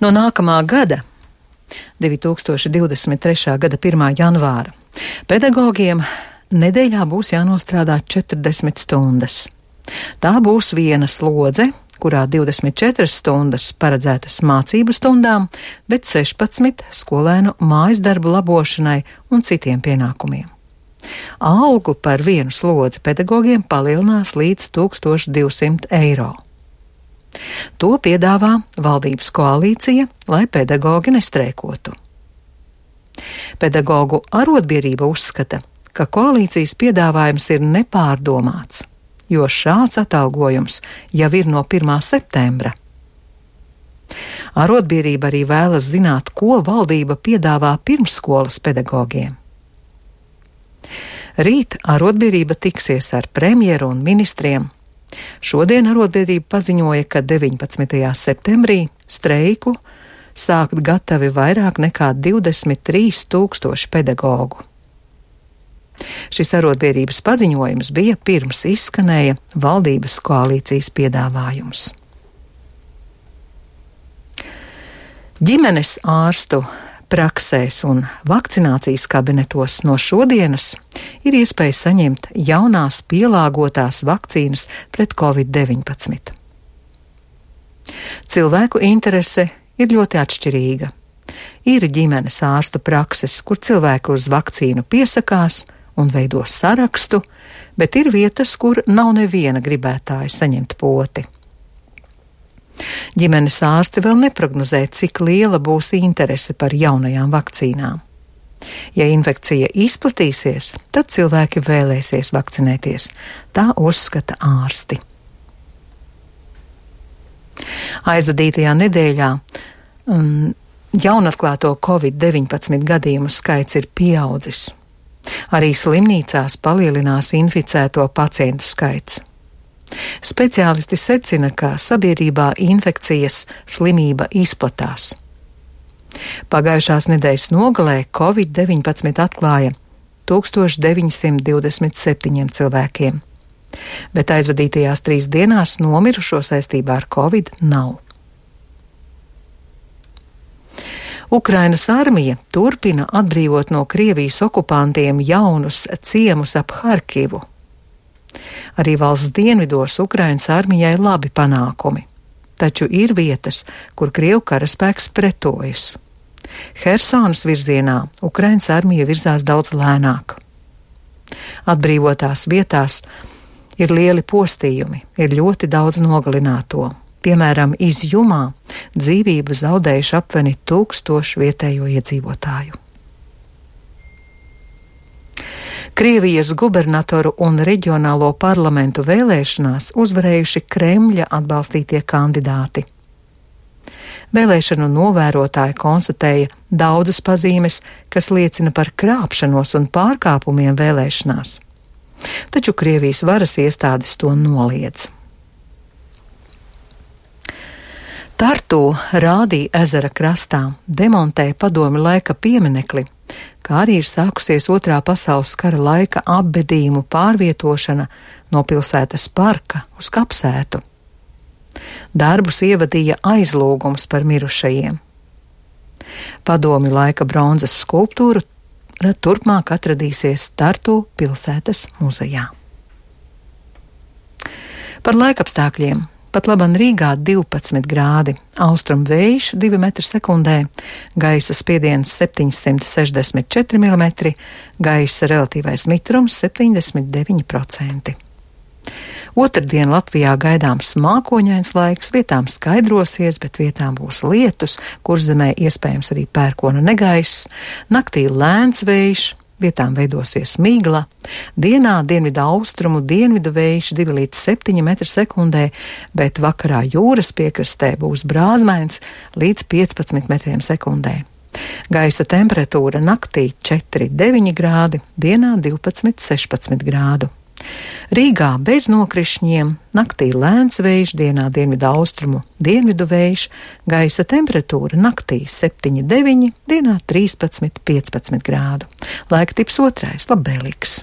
No nākamā gada, 2023. gada 1. janvāra, pedagogiem nedēļā būs jānostrādā 40 stundas. Tā būs viena slodze, kurā 24 stundas paredzētas mācību stundām, bet 16 skolēnu mājas darbu labošanai un citiem pienākumiem. Algu par vienu slodzi pedagogiem palielinās līdz 1200 eiro. To piedāvā valdības koalīcija, lai pedagogi nestreikotu. Pedagogu arotbiedrība uzskata, ka koalīcijas piedāvājums ir nepārdomāts, jo šāds atalgojums jau ir no 1. septembra. Arotbiedrība arī vēlas zināt, ko valdība piedāvā pirmsskolas pedagogiem. Rīt arotbiedrība tiksies ar premjeru un ministriem. Šodien arotbiedrība paziņoja, ka 19. septembrī streiku sākt gatavi vairāk nekā 23 000 pedagogu. Šis arotbiedrības paziņojums bija pirms izskanēja valdības koalīcijas piedāvājums. Ģimenes ārstu praksēs un vakcinācijas kabinetos no šodienas ir iespēja saņemt jaunās pielāgotās vakcīnas pret Covid-19. Cilvēku interese ir ļoti atšķirīga. Ir ģimenes ārstu prakses, kur cilvēki uz vakcīnu piesakās un veido sarakstu, bet ir vietas, kur nav neviena gribētāja saņemt poti. Ģimenes ārsti vēl neprognozē, cik liela būs interese par jaunajām vakcīnām. Ja infekcija izplatīsies, tad cilvēki vēlēsies vakcinēties, tā uzskata ārsti. Aizvadītajā nedēļā jaunatklāto Covid-19 gadījumu skaits ir pieaudzis. Arī slimnīcās palielinās inficēto pacientu skaits. Speciālisti secina, ka sabiedrībā infekcijas slimība izplatās. Pagājušās nedēļas nogalē Covid-19 atklāja 1927 cilvēkiem, bet aizvadītajās 3 dienās nomirušo saistībā ar Covid nav. Ukrainas armija turpina atbrīvot no Krievijas okupantiem jaunus ciemus ap Harkivu. Arī valsts dienvidos Ukrainas armijai labi panākumi, taču ir vietas, kur Krievu karaspēks pretojas. Hersonas virzienā Ukrainas armija virzās daudz lēnāk. Atbrīvotās vietās ir lieli postījumi, ir ļoti daudz nogalināto. Piemēram, Izjumā dzīvību zaudējuši aptuveni 1000 vietējo iedzīvotāju. Krievijas gubernatoru un reģionālo parlamentu vēlēšanās uzvarējuši Kremļa atbalstītie kandidāti. Vēlēšanu novērotāji konstatēja daudzas pazīmes, kas liecina par krāpšanos un pārkāpumiem vēlēšanās. Taču Krievijas varas iestādes to noliedz. Tartu Rādī ezera krastā demontēja padomju laika pieminekli, kā arī ir sākusies 2. pasaules kara laika apbedījumu pārvietošana no pilsētas parka uz kapsētu. Darbus ievadīja aizlūgums par mirušajiem. Padomju laika bronzas skulptūra turpmāk atradīsies Tartu pilsētas muzejā. Par laikapstākļiem. Pat laban Rīgā 12 grādi, austrumu vējš 2 metri sekundē, gaisa spiediens 764 mm, gaisa relatīvais mitrums 79%. Otrdien Latvijā gaidāms mākoņains laiks, vietām skaidrosies, bet vietām būs lietus, Kurzemē iespējams arī pērkona negaiss, naktī lēns vējš, vietām veidosies migla, dienā dienvidu austrumu dienvidu vējš 2 līdz 7 metri sekundē, bet vakarā jūras piekrastē būs brāzmains līdz 15 metriem sekundē. Gaisa temperatūra naktī 4,9 grādi, dienā 12,16 grādu. Rīgā bez nokrišņiem, naktī lēns vējš, dienā dienvidu austrumu dienvidu vējš, gaisa temperatūra naktī 7,9, dienā 13,15 grādu. Laika tips 2. labvēlīgs.